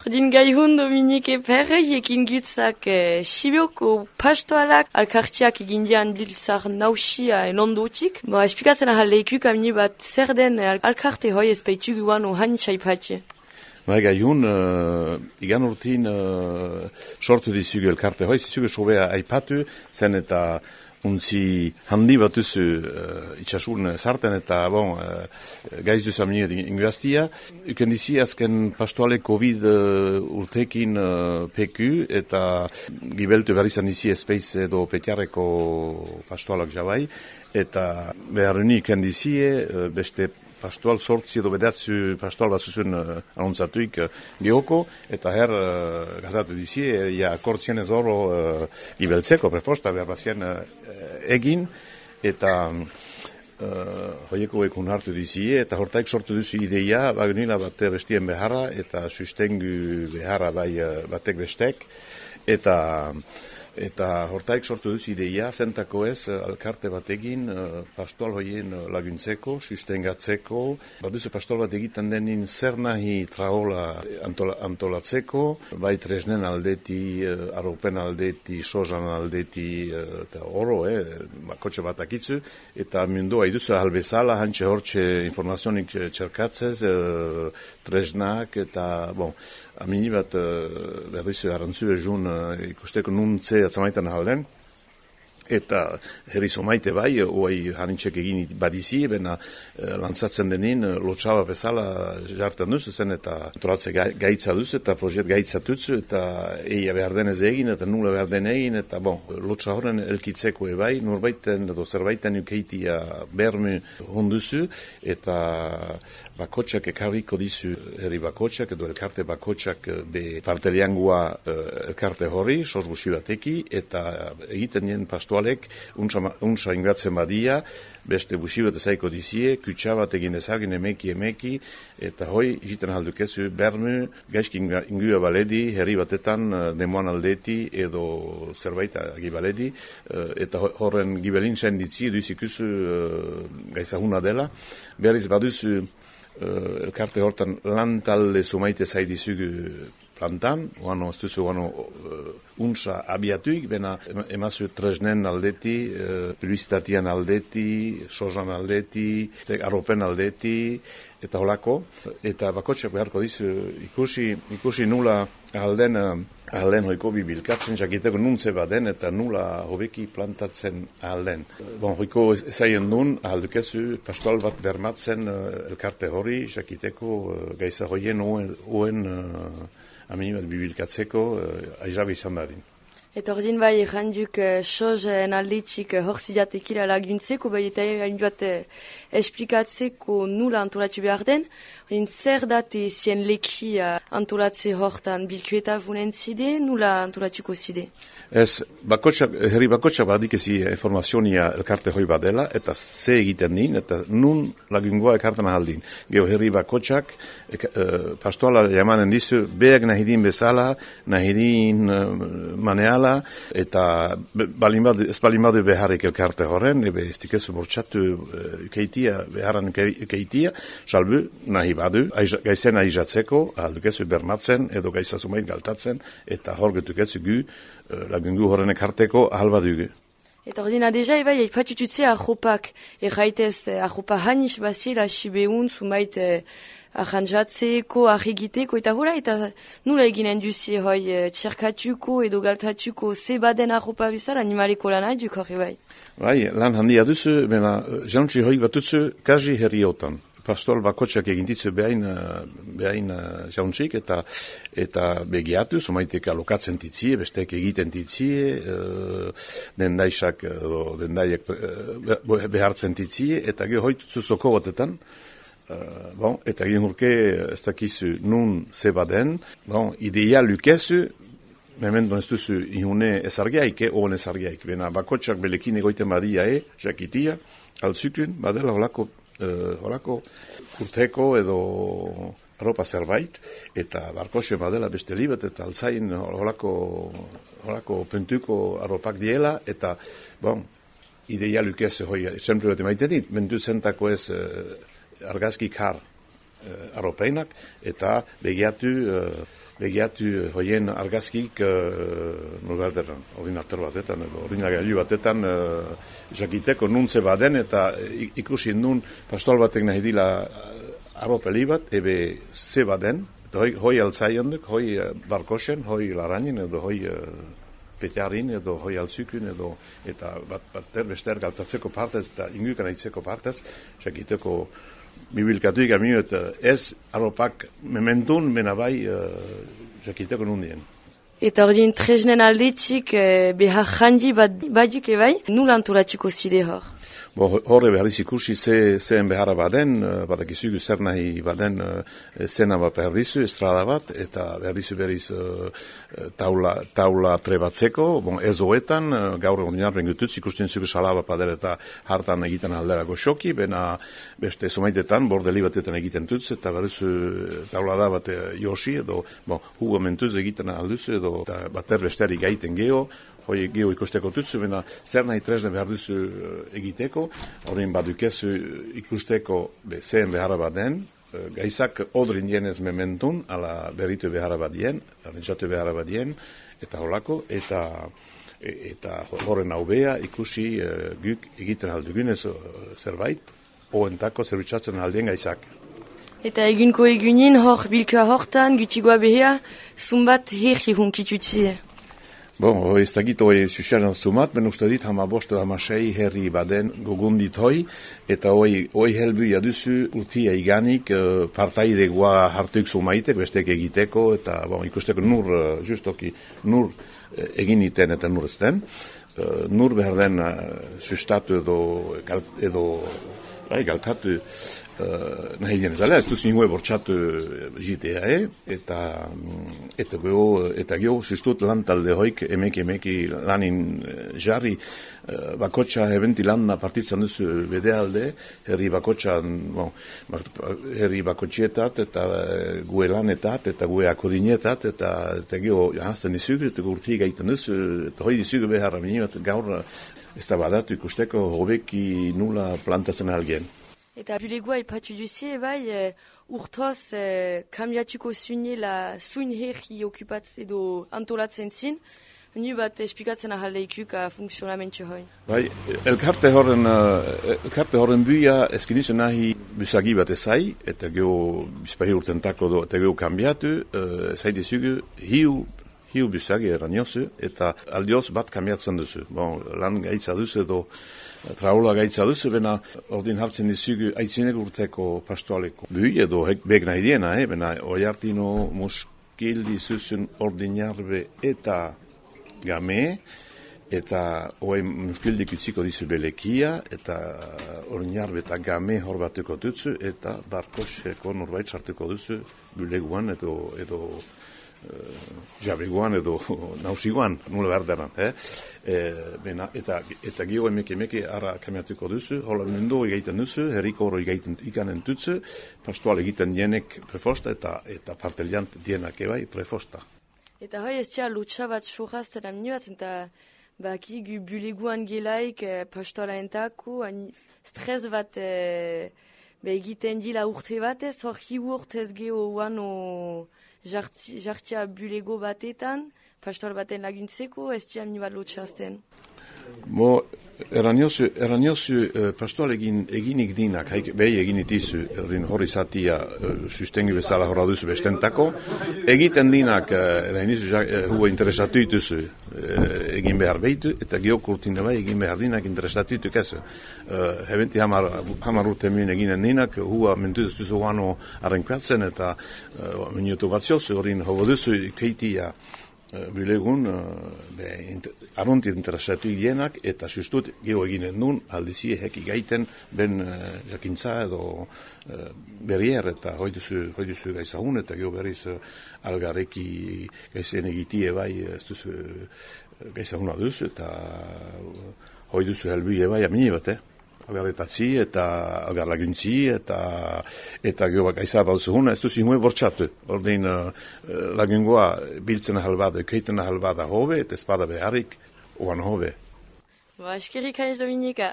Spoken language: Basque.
Ordin gaihun Dominike Perrei ekin gutzak Sibioko pastoalak alkartiak egindian biltzar nausia ondotik. Espikatzen ahaleikuk amini bat zer den alkarte hoi espeitu guan ohan txaipatxe. Gaihun, igan urtin sortu dizugu elkarte hoi, zizugu sobea aipatu, zen eta untzi handi bat duzu itxasun zarten eta gaiz duz aminiet inguaztia. Uken dizi azken pastoale COVID urtekin PQ eta gibeltu behar izan dizi espeiz edo petiareko pastoalak jabai. Eta behar unik uken dizi beste pastoal sortzi edo bedatzu pastoal bat zuzun anontzatuik gehoko, eta gazatu dizi, akortzien ez oro gibeltzeko, prefosta behar bazien egin, eta hoieko ekun hartu dizi, eta hortaik sortu duzu ideia, bagunila bat bestien beharra, eta sustengu beharra bai batek bestek, eta hortaik sortu duzu ideia, zentako ez, alkarte bat egin, pastoal hoien laguntzeko, sustengatzeko, baduzu pastoal bat egiten denin zer nahi traola antolatzeko, bai tresnen aldeti, arropen aldeti, sozan aldeti, eta oro, kotxe bat akitzu, eta mundoa iduzu ahalbezala, hantxe hortxe informazionik txerkatzez, tresnak, eta, amini bat berrizu arantzu egun ikusteko nuntze atzamaitan ahalden, eta herri somaite bai, oai hanintzek egin badizi, bena lantzatzen denin, lotxaba bezala jartan duz, zen eta antolatze gaitza duz, eta proiekt gaitza tutzu, eta eia behar denez egin, eta nula behar den egin, eta lotxa horren elkitzeko ebai, norbaiten edo zerbaiten ukeitia bermu honduzu, eta bakotxak ekarriko dizu herri bakotxak, edo elkarte bakotxak be parteliangua elkarte horri, sos gusi bateki, eta egiten dien pastoalek untsa ingatzen badia, beste busi bat ezaiko dizie, kutsa bat egin ezagin emeki, eta hoi jiten haldukezu bermu, gaizki ingua baledi, herri batetan demoan aldeti, edo zerbait agibaledi, eta horren gibelin senditzi duzikuzu gaizahuna dela, berriz baduzu elkarte hortan lan talde sumaite zaidizugu plantan, oano ez duzu untsa abiatuik, bena emazu tresnen aldeti, publizitatian aldeti, sozan aldeti, arropen aldeti, eta holako, eta bakotxak beharko dizu ikusi nula ahalden hoiko bibilkatzen, jakiteko nuntze baden, eta nula hobeki plantatzen ahalden. Hoiko ezaien duen, ahaldukezu pastoal bat bermatzen elkarte hori, jakiteko gaiza hoien oen aminibat bibilkatzeko aizabe izan dadin. Eta ordin bai, erranduk sozen alditxik horzidatekila laguntzeko, bai eta bat esplikatzeko nula antolatu behar den, zer date zien leki antolatze hortan bilkueta vunen zide, nula antolatuko zide? Ez, herri bakotxak badik ezi informazionia elkarte hoi badela, eta ze egiten din, eta nun lagungoa elkartan ahaldin. Geo herri bakotxak, pastoala jamanen dizu, beak nahi din bezala, nahi din maneala, eta ez balin badu beharrik elkarte horren, ebe ez dikezu bortxatu keitia, beharan keitia, salbu nahi badu, gaizen aizatzeko, ahaldukezu bermatzen, edo gaizazumait galtatzen, eta hor getukezu gu, lagungu horrenek harteko ahal badugu. Eta ordina deja ebai aipatututze arropak, erraitez arropa hanis bazila sibeun, sumait arrantzatzeko, arregiteko, eta hola, eta nula eginen duzi hoi txerkatuko edo galtatuko zebaden arropa bezala animaleko lan haiduk hori bai. Bai, lan handia duzu, bena jantzi hoi batutzu kazi herriotan. Pastoal bakotxak egintitzu behain jauntzik, eta begiatu, sumaiteka alokatzen titzie, bestek egiten titzie, dendaiak behartzen titzie, eta geho hoitutzu zoko batetan, eta gehen urke ez dakizu nun zebaden, ideia lukezu, memento ez duzu ihune ezargiaik, oen ezargiaik, bena bakotxak belekin egoiten badia jakitia, altzukun, badela holako kurteko edo arropa zerbait, eta barkoxo badela beste libet, eta altzain holako pentuko arropak diela, eta ideia lukez hoi, esemplu bat emaiten dit, 20 zentako ez argazki kar arropeinak, eta begiatu begiatu hoien argazkik nolbatetan, ordinator batetan, edo ordinagailu batetan jakiteko nuntze baden, eta ikusi nun pastoral batek nahi dila arropeli bat, ebe ze baden, eta hoi altzaionduk, hoi barkosen, hoi laranin, edo hoi petjarin, edo hoi altzukun, edo eta bat bester galtatzeko partez, eta ingukan aitzeko partez, jakiteko bibilkatuik amio, eta ez arropak mementun, mena bai jakiteko nundien. Eta ordin treznen aldetxik behar jandi baduk ebai, nula antolatuko zide hor? Horre berriz ikusi zehen beharra baden, badakizugu zer nahi baden zena bat berrizu, estrada bat, eta berriz taula trebatzeko, ez hoetan, gaur ordinarren gututz, ikusten zugu salaba padel eta hartan egiten aldera goxoki, bena beste somaitetan, bordeli batetan egiten tutz, eta berrizu taula da bat josi, edo hugo mentuz egiten alduzu, edo bater besteri gaiten geho, hoi geho ikusteko tutzu, bena zer nahi tresne behar duzu egiteko, horrein badukezu ikusteko zehen beharra baden, gaizak odrin dienez mementun, ala berritu beharra badien, arrentzatu beharra badien, eta holako, eta horren haubea ikusi guk egiten aldugunez zerbait, oentako zerbitzatzen aldien gaizak. Eta egunko egunin hor bilkoa hortan, gutigoa behea, zumbat herri hunkitutzie. Ez dakit hoi susiaren zumat, ben uste dit hamabost hamasei herri baden gogundit hoi, eta hoi helbu jaduzu urtia iganik partaidegoa hartuik zumaitek, bestek egiteko, eta ikusteko justoki nur egin iten eta nur ezten. Nur behar den sustatu edo galtatu nahi dienez ala, ez duz ningue bortxatu jitea, eta geho sustut lan talde hoik emeki lanin jarri bakotxa eventi landa partitzen duzu bedealde, herri bakotxietat, eta gue lanetat, eta gue akodinetat, eta geho jahazten dizugu, eta urti gaiten duzu, eta hoi dizugu beharra minimat gaur ez da badatu ikusteko hobeki nula plantatzen algien. Eta bulegoa ipatu duzie, urtoz kambiatuko zuin herri okupatz edo antolatzen zin, ni bat espikatzen ahaldeikuk funksionamentu hoi. Elkarte horren buia eskinizu nahi busagi bat ezai, eta geho bizpahi urtentako eta geho kambiatu, ezai dizugu hiu busagi eraniozu, eta aldioz bat kambiatzen duzu. Lan gaitza duzu edo traula gaitza duzu, bena ordin hartzen dizugu aitzinek urteko pastoaleko bui, edo beg nahi diena, bena oiartino muskil dizuzun ordinarbe eta game, eta oai muskildik utziko dizu belekia, eta ordinarbe eta game hor batuko dutzu, eta barkoseko norbait sartuko duzu buleguan edo jabeguan edo nausiguan, nula berderan. Eta gio emeke ara kamiatuko duzu, hola mundu egiten duzu, herriko horo egiten ikanen dutzu, pastoal egiten dienek prefosta eta parteliant dienak ebai prefosta. Eta hoi ez tia lutsa bat sohazten amnibatzen, eta baki gu buleguan gelaik pastoala entako, stres bat egiten dila urte batez, hor hi urtez geho uano jartia bulego batetan, pastoral baten laguntzeko, ez tia amnibat lotxazten. Eraniozu pastoal eginik dinak, behi eginit izu, hori zatia sustengu bezala horra duzu bestentako, egiten dinak, hugo interesatu ituzu, egin behar behitu, eta geokurtin bai egin behar dinak interesatu itu kezu. Hebenti hamar urte muen eginen dinak, hua mentuz duzu guano arrenkatzen, eta minutu batziozu horin hobo duzu keitia bulegun arrunti interesatu dienak, eta sustut geho eginen nun aldizie heki gaiten ben jakintza edo berrier, eta hoi duzu gaizagun, eta geho berriz algarreki gaizen egitie bai ez duzu gaizaguna duzu, eta hoi duzu helbui bai amini bat, algarretatzi eta algarlaguntzi eta geho gaiza balzuhun, ez duzu ingoe bortxatu. Ordein lagungoa biltzen ahalbada, keiten ahalbada hobe, eta espada beharrik oan hobe. Eskerrik haiz Dominika.